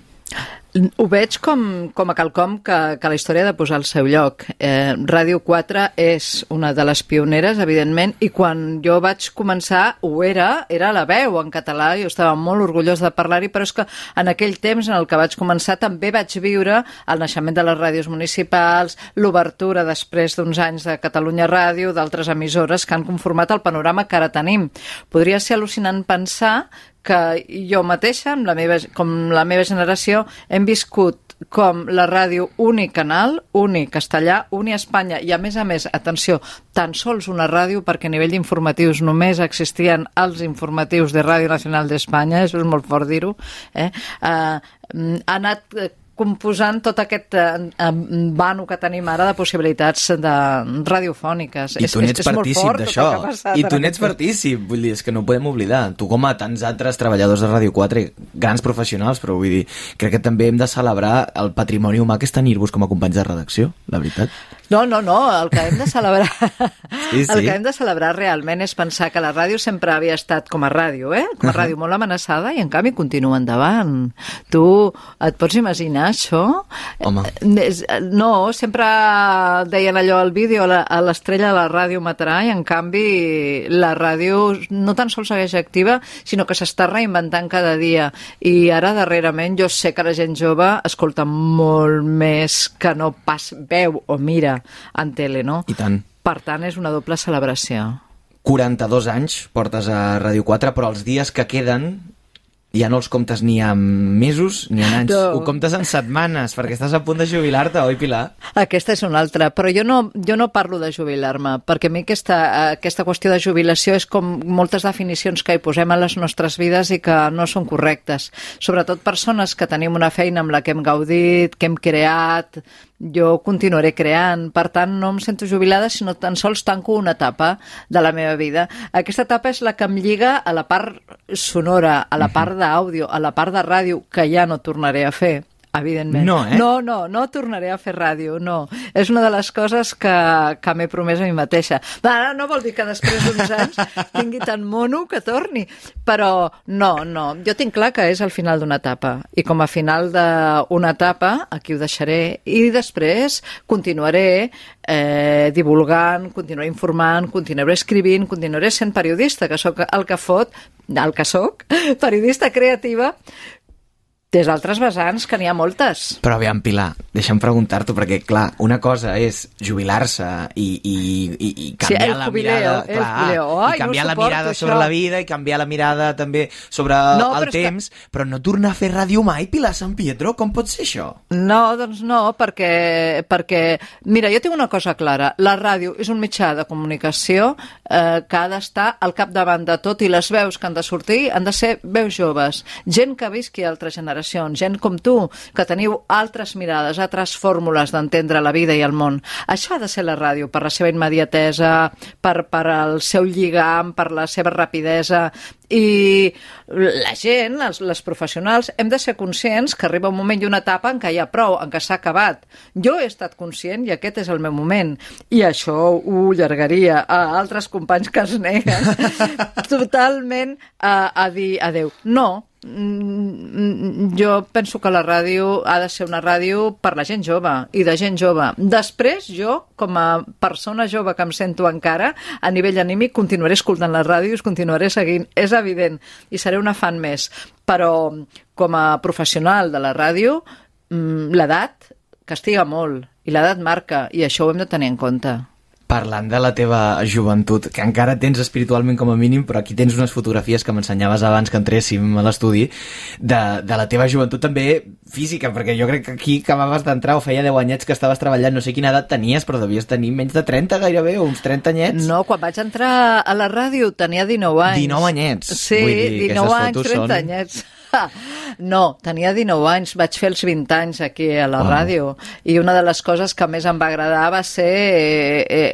Ho veig com a quelcom que la història ha de posar al seu lloc. Ràdio 4 és una de les pioneres, evidentment, i quan jo vaig començar era la veu en català, jo estava molt orgullós de parlar-hi, però és que en aquell temps en el que vaig començar també vaig viure el naixement de les ràdios municipals, l'obertura després d'uns anys de Catalunya Ràdio, d'altres emissores que han conformat el panorama que ara tenim. Podria ser al·lucinant pensar que jo mateixa, com la meva generació, hem viscut com la ràdio unicanal, unicastellà, Espanya, i a més, atenció, tan sols una ràdio, perquè a nivell d'informatius només existien els informatius de Ràdio Nacional d'Espanya, això és molt fort dir-ho, ha anat composant tot aquest vano que tenim ara de possibilitats radiofòniques. I tu n'ets partícip d'això. I tu n'ets partícip. Vull dir, és que no ho podem oblidar. Tu, com a tants altres treballadors de Ràdio 4, grans professionals, però vull dir, crec que també hem de celebrar el patrimoni humà que és tenir-vos com a companys de redacció, la veritat. No, el que hem de celebrar el que hem de celebrar realment és pensar que la ràdio sempre havia estat com a ràdio, com a ràdio molt amenaçada, i en canvi continua endavant. Tu et pots imaginar això? Home. No, sempre deien allò al vídeo, a l'estrella de la ràdio matarà, i en canvi la ràdio no tan sols segueix activa, sinó que s'està reinventant cada dia, i ara darrerament jo sé que la gent jove escolta molt més que no pas veu o mira en tele, no? I tant. Per tant, és una doble celebració. 42 anys portes a Ràdio 4, però els dies que queden ja no els comptes ni en mesos ni en anys. No. Ho comptes en setmanes, perquè estàs a punt de jubilar-te, oi, Pilar? Aquesta és una altra, però jo no parlo de jubilar-me, perquè a mi aquesta qüestió de jubilació és com moltes definicions que hi posem a les nostres vides i que no són correctes. Sobretot persones que tenim una feina amb la que hem gaudit, que hem creat, jo continuaré creant, per tant no em sento jubilada, sinó tan sols tanco una etapa de la meva vida. Aquesta etapa és la que em lliga a la part sonora, a la part d'àudio, a la part de ràdio, que ja no tornaré a fer, evidentment. No tornaré a fer ràdio, no. És una de les coses que m'he promès a mi mateixa. No vol dir que després d'uns anys tingui tant mono que torni, però no. Jo tinc clar que és el final d'una etapa, i com a final d'una etapa, aquí ho deixaré, i després continuaré divulgant, continuaré informant, continuaré escrivint, continuaré sent periodista, que sóc el que soc, periodista creativa, des d'altres vessants, que n'hi ha moltes. Però aviam, Pilar, deixa'm preguntar-t'ho, perquè, clar, una cosa és jubilar-se i canviar la mirada... I canviar la mirada sobre la vida, i canviar la mirada també sobre el temps, però no tornar a fer ràdio mai, Pilar San Pietro, com pot ser això? No, doncs no, perquè mira, jo tinc una cosa clara, la ràdio és un mitjà de comunicació que ha d'estar al capdavant de tot, i les veus que han de sortir han de ser veus joves, gent que visqui a altres generacions, gent com tu, que teniu altres mirades, altres fórmules d'entendre la vida i el món. Això ha de ser la ràdio, per la seva immediatesa, per el seu lligam, per la seva rapidesa, i la gent, les professionals, hem de ser conscients que arriba un moment i una etapa en què hi ha prou, en què s'ha acabat. Jo he estat conscient i aquest és el meu moment, i això ho allargaria a altres companys que es neguen totalment a dir adeu. No, jo penso que la ràdio ha de ser una ràdio per la gent jove i de gent jove. Després jo, com a persona jove que em sento encara, a nivell anímic continuaré escoltant les ràdios, continuaré seguint, és evident, i seré una fan més, però com a professional de la ràdio, l'edat castiga molt, i l'edat marca, i això ho hem de tenir en compte. Parlant de la teva joventut, que encara tens espiritualment com a mínim, però aquí tens unes fotografies que m'ensenyaves abans que entréssim a l'estudi, de la teva joventut també física, perquè jo crec que aquí acabaves d'entrar, o feia 10 anyets que estaves treballant, no sé quina edat tenies, però devies tenir menys de 30 gairebé, o uns 30 anyets. No, quan vaig entrar a la ràdio tenia 19 anys. 19 anyets? Sí, vull dir, 19 anys, 30 anyets. No, tenia 19 anys, vaig fer els 20 anys aquí a la ràdio, i una de les coses que més em va agradar va ser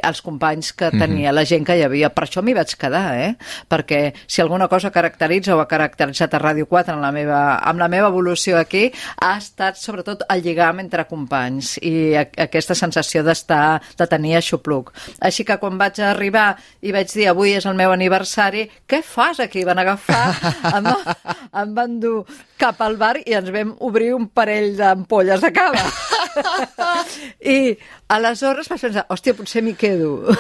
els companys que tenia, la gent que hi havia. Per això m'hi vaig quedar, perquè si alguna cosa caracteritza o ha caracteritzat a Ràdio 4 amb la meva evolució aquí, ha estat sobretot el lligam entre companys i aquesta sensació de tenir aixopluc. Així que quan vaig arribar i vaig dir avui és el meu aniversari, què fas aquí? Van agafar, em van dur cap al bar i ens vam obrir un parell d'ampolles de cava. I aleshores vaig pensar, hòstia, potser m'hi quedo.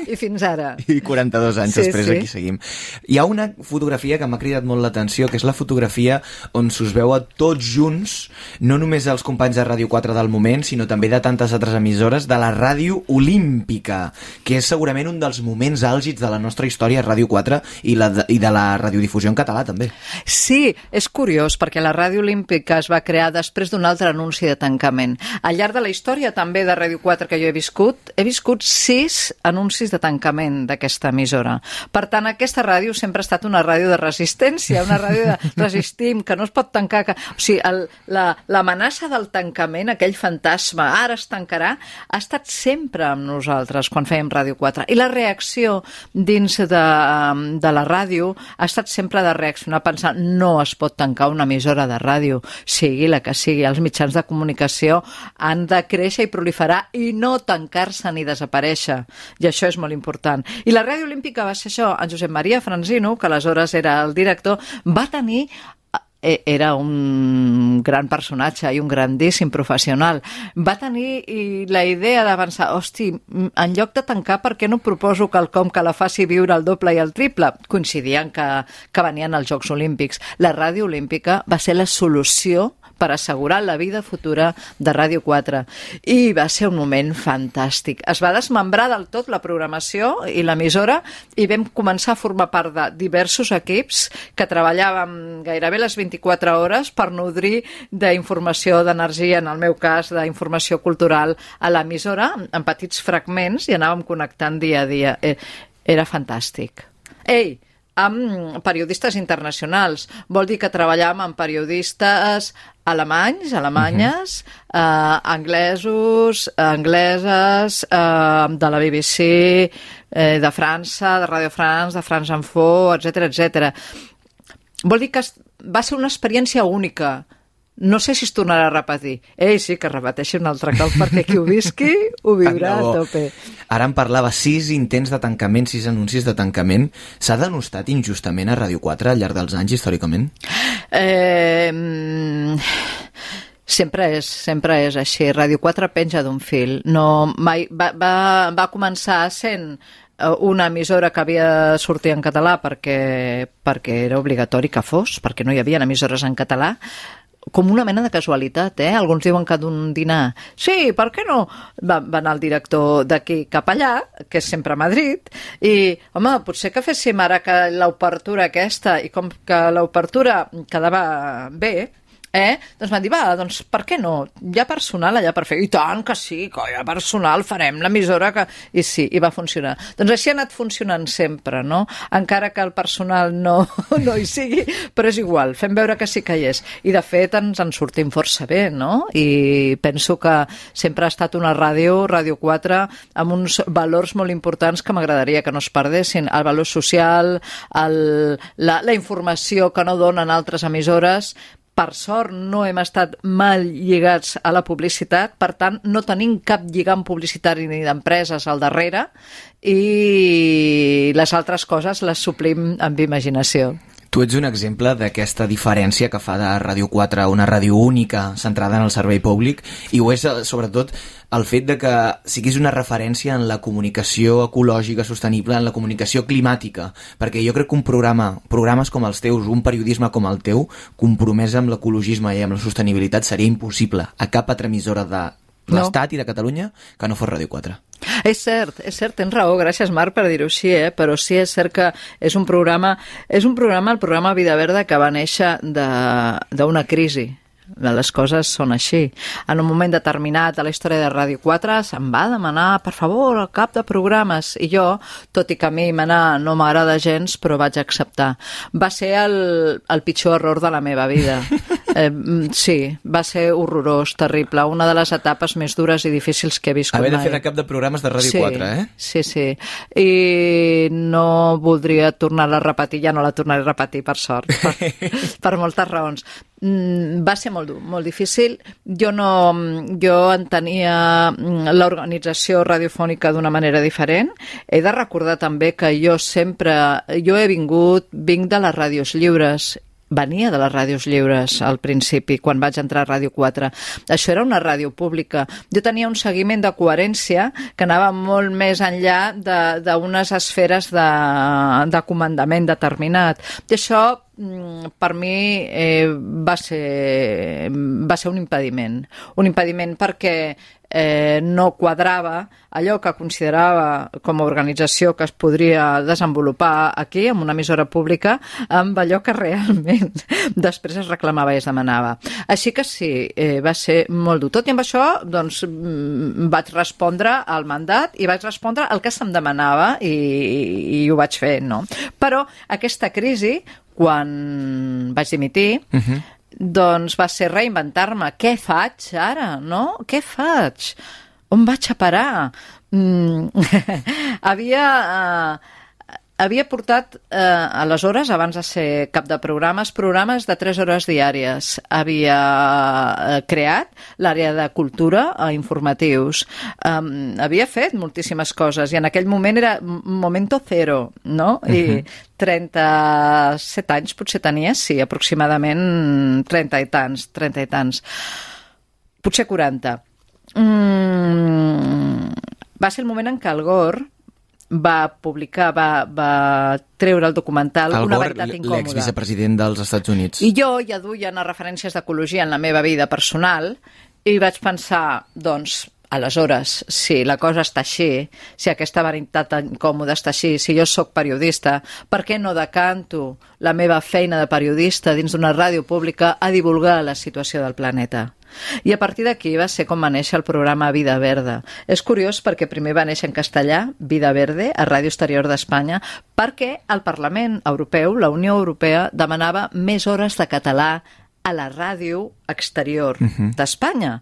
I fins ara. I 42 anys després aquí seguim. Hi ha una fotografia que m'ha cridat molt l'atenció, que és la fotografia on s'us veu a tots junts, no només els companys de Ràdio 4 del moment, sinó també de tantes altres emissores, de la Ràdio Olímpica, que és segurament un dels moments àlgids de la nostra història a Ràdio 4 i de la radiodifusió en català, també. Sí, és curiós, perquè la Ràdio Olímpica es va crear després d'un altre anunci de tancament. Al llarg de la història també de Ràdio 4 que jo he viscut 6 anuncis de tancament d'aquesta emissora. Per tant, aquesta ràdio sempre ha estat una ràdio de resistència, una ràdio de resistim, que no es pot tancar. O sigui, l'amenaça del tancament, aquell fantasma, ara es tancarà, ha estat sempre amb nosaltres quan fèiem Ràdio 4. I la reacció dins de la ràdio ha estat sempre de reaccionar pensant no es pot tancar una emissora de ràdio, sigui la que sigui. Els mitjans de comunicació han de créixer i proliferar i no tancar-se ni desaparèixer. I això és molt important. I la Ràdio Olímpica va ser això. En Josep Maria Franzino, que aleshores era el director, va tenir... Era un gran personatge i un grandíssim professional. Va tenir la idea d'avançar, hosti, en lloc de tancar, per què no proposo quelcom que la faci viure el doble i el triple? Coincidien que venien els Jocs Olímpics. La Ràdio Olímpica va ser la solució per assegurar la vida futura de Ràdio 4. I va ser un moment fantàstic. Es va desmembrar del tot la programació i l'emissora i vam començar a formar part de diversos equips que treballàvem gairebé les 24 hores per nodrir d'informació, d'energia, en el meu cas, d'informació cultural a l'emissora, en petits fragments, i anàvem connectant dia a dia. Era fantàstic. Ei, amb periodistes internacionals. Vol dir que treballàvem amb periodistes alemanys, alemanyes, anglesos, angleses, de la BBC, de França, de Radio France, de France Info, etc etc. Vol dir que va ser una experiència única No sé si es tornarà a repetir. Sí, que repeteixi un altre cop, perquè qui ho visqui ho viurà a tope. Ara em parlava 6 intents de tancament, 6 anuncis de tancament. S'ha denostat injustament a Ràdio 4 al llarg dels anys, històricament? Sempre és així. Ràdio 4 penja d'un fil. No, mai, va començar sent una emissora que havia de sortir en català perquè era obligatori que fos, perquè no hi havia emissores en català, com una mena de casualitat, Alguns diuen que d'un dinar, sí, per què no? Va anar el director d'aquí cap allà, que és sempre a Madrid, i, home, potser que féssim ara que l'obertura aquesta, i com que l'obertura quedava bé, doncs van dir, doncs per què no? Hi ha personal allà per fer. I tant que sí, que hi ha personal, farem l'emissora que... I sí, i va funcionar. Doncs així ha anat funcionant sempre, no? Encara que el personal no hi sigui, però és igual, fem veure que sí que hi és. I de fet ens en sortim força bé, no? I penso que sempre ha estat una ràdio 4, amb uns valors molt importants que m'agradaria que no es perdessin. El valor social, la informació que no donen altres emissores. Per sort no hem estat mal lligats a la publicitat, per tant no tenim cap lligam publicitari ni d'empreses al darrere i les altres coses les suplim amb imaginació. Tu ets un exemple d'aquesta diferència que fa de Ràdio 4 una ràdio única centrada en el servei públic, i ho és sobretot el fet de que siguis una referència en la comunicació ecològica sostenible, en la comunicació climàtica, perquè jo crec que programes com els teus, un periodisme com el teu, compromès amb l'ecologisme i amb la sostenibilitat, seria impossible a cap altra emissora de l'Estat i de Catalunya que no fos Ràdio 4. És cert, tens raó, gràcies Marc per dir-ho així, però sí és cert que és un programa, el programa Vida Verda, que va néixer d'una crisi. Les coses són així. En un moment determinat a la història de Ràdio 4 se'm va demanar, per favor, el cap de programes, i jo, tot i que a mi manar no m'agrada gens, però vaig acceptar. Va ser el pitjor error de la meva vida. Sí, va ser horrorós, terrible, una de les etapes més dures i difícils que he viscut mai. Haver de fer de cap de programes de Ràdio 4, Sí, i no voldria tornar-la a repetir, ja no la tornaré a repetir, per sort, per moltes raons. Va ser molt dur, molt difícil. Jo entenia l'organització radiofònica d'una manera diferent. He de recordar també que jo vinc de les ràdios lliures. Venia de les ràdios lliures al principi, quan vaig entrar a Ràdio 4. Això era una ràdio pública. Jo tenia un seguiment de coherència que anava molt més enllà d'unes esferes de comandament determinat. I això, per mi, va ser un impediment. Un impediment perquè no quadrava allò que considerava com a organització que es podria desenvolupar aquí, en una emissora pública, amb allò que realment després es reclamava i es demanava. Així que sí, va ser molt dur. Tot i amb això, doncs, vaig respondre al mandat i vaig respondre el que se'm demanava i ho vaig fer, no? Però aquesta crisi, quan vaig dimitir, doncs va ser reinventar-me. Què faig ara, no? Què faig? On vaig a parar? Havia portat, aleshores, abans de ser cap de programes de 3 hores diàries. Havia creat l'àrea de cultura a informatius. Havia fet moltíssimes coses i en aquell moment era momento cero, no? I 37 anys potser tenia, sí, aproximadament 30 i tants. Potser 40. Va ser el moment en què el Gore va publicar, va treure el documental Una veritat incòmoda. L'exvicepresident dels Estats Units. I jo ja duia unes referències d'ecologia en la meva vida personal i vaig pensar, doncs, aleshores, si la cosa està així, si aquesta veritat incòmoda està així, si jo sóc periodista, per què no decanto la meva feina de periodista dins d'una ràdio pública a divulgar la situació del planeta? I a partir d'aquí va ser com va néixer el programa Vida Verda. És curiós perquè primer va néixer en castellà, Vida Verde, a Ràdio Exterior d'Espanya, perquè el Parlament Europeu, la Unió Europea, demanava més hores de català a la ràdio exterior d'Espanya.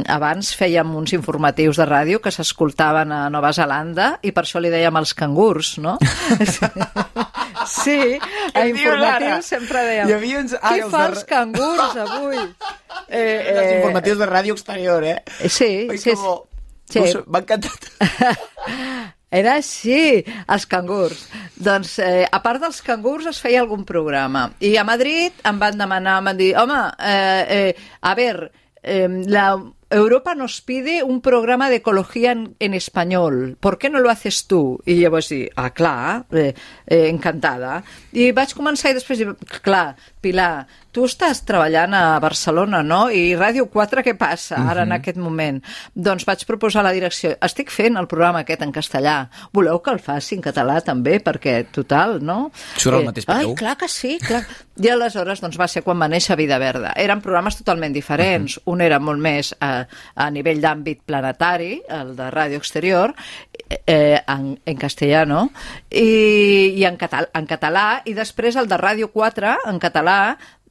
Abans fèiem uns informatius de ràdio que s'escoltaven a Nova Zelanda i per això li dèiem els cangurs, no? Sí, a informatius sempre dèiem. Què fa els cangurs avui? Els informatius de Ràdio Exterior, Sí. M'ha encantat. Era així, els cangurs. Doncs, a part dels cangurs, es feia algun programa. I a Madrid em van demanar, em van dir, home, a ver, Europa nos pide un programa de ecología en español. ¿Por qué no lo haces tú? I llavors dir, clar, encantada. I vaig començar i després dir, clar, Pilar, tu estàs treballant a Barcelona, no? I Ràdio 4 què passa ara en aquest moment? Doncs vaig proposar a la direcció, estic fent el programa aquest en castellà, voleu que el faci en català també? Perquè, total, no? Surt al mateix peu. Ai, clar que sí, clar. I aleshores doncs, va ser quan va néixer Vida Verda. Eren programes totalment diferents. Un era molt més a nivell d'àmbit planetari, el de Ràdio Exterior, en castellano, i en català, i després el de Ràdio 4, en català,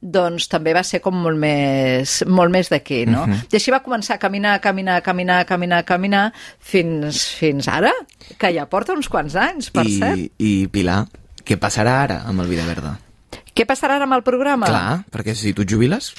doncs també va ser com molt més d'aquí, no? I així va començar a caminar fins ara, que ja porta uns quants anys, per cert. I Pilar, què passarà ara amb el Vida Verda? Què passarà ara amb el programa? Clar, perquè si tu et jubiles...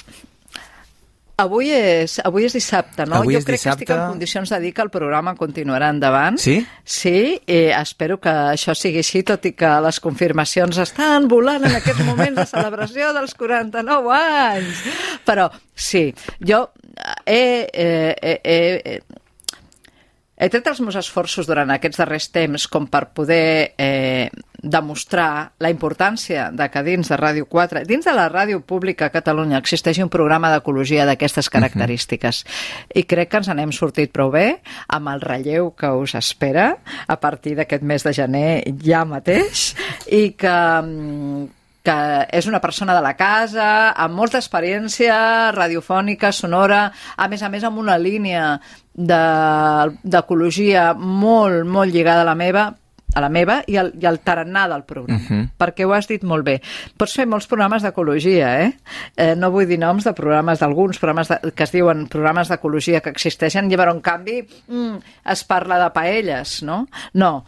Avui és dissabte, no? Avui jo crec dissabte... que estic en condicions de dir que el programa continuarà endavant. Sí? Sí, espero que això sigui així, tot i que les confirmacions estan volant en aquests moments de celebració dels 49 anys. Però sí, jo he tret els meus esforços durant aquests darrers temps com per poder demostrar la importància de que dins de Ràdio 4, dins de la ràdio pública a Catalunya, existeixi un programa d'ecologia d'aquestes característiques. I crec que ens n'hem sortit prou bé amb el relleu que us espera a partir d'aquest mes de gener ja mateix, i que és una persona de la casa, amb molta experiència radiofònica, sonora, a més amb una línia d'ecologia molt, molt lligada a la meva i al tarannà del programa, perquè ho has dit molt bé. Pots fer molts programes d'ecologia, no vull dir noms de programes d'alguns, programes que es diuen programes d'ecologia que existeixen, i en canvi es parla de paelles, no? No.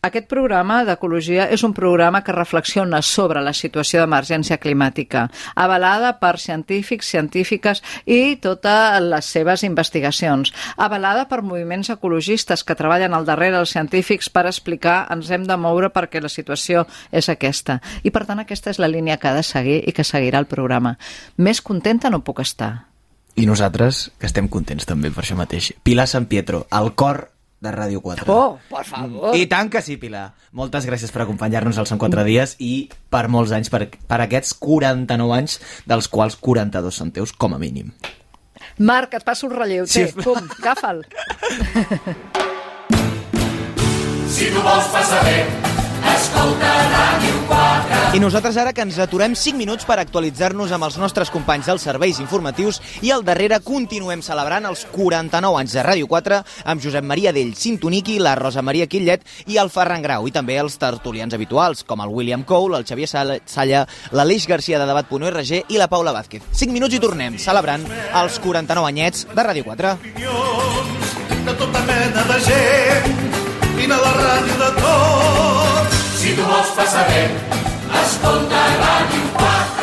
Aquest programa d'ecologia és un programa que reflexiona sobre la situació d'emergència climàtica, avalada per científics, científiques i totes les seves investigacions, avalada per moviments ecologistes que treballen al darrere dels científics per explicar ens hem de moure perquè la situació és aquesta. I per tant aquesta és la línia que ha de seguir i que seguirà el programa. Més contenta no puc estar. I nosaltres, que estem contents també per això mateix. Pilar San Pietro, al cor de Ràdio 4. Oh, por favor! I tant que sí, Pilar. Moltes gràcies per acompanyar-nos als Són 4 dies i per molts anys, per aquests 49 anys, dels quals 42 són teus, com a mínim. Marc, et passo un relleu. Sí. Pum, agafa'l. Si tu vols passar bé, escolta Ràdio 4. I nosaltres ara que ens aturem 5 minuts per actualitzar-nos amb els nostres companys dels serveis informatius i al darrere continuem celebrant els 49 anys de Ràdio 4 amb Josep Maria Dell Sintoniqui, la Rosa Maria Quillet i el Ferran Grau, i també els tertulians habituals com el William Cole, el Xavier Salla, l'Aleix Garcia de Debat.org i la Paula Vázquez. 5 minuts i tornem celebrant els 49 anyets de Ràdio 4. De tota mena de gent, vine a la ràdio de tots. Si tu vols passar bé, escolta Ràdio 4.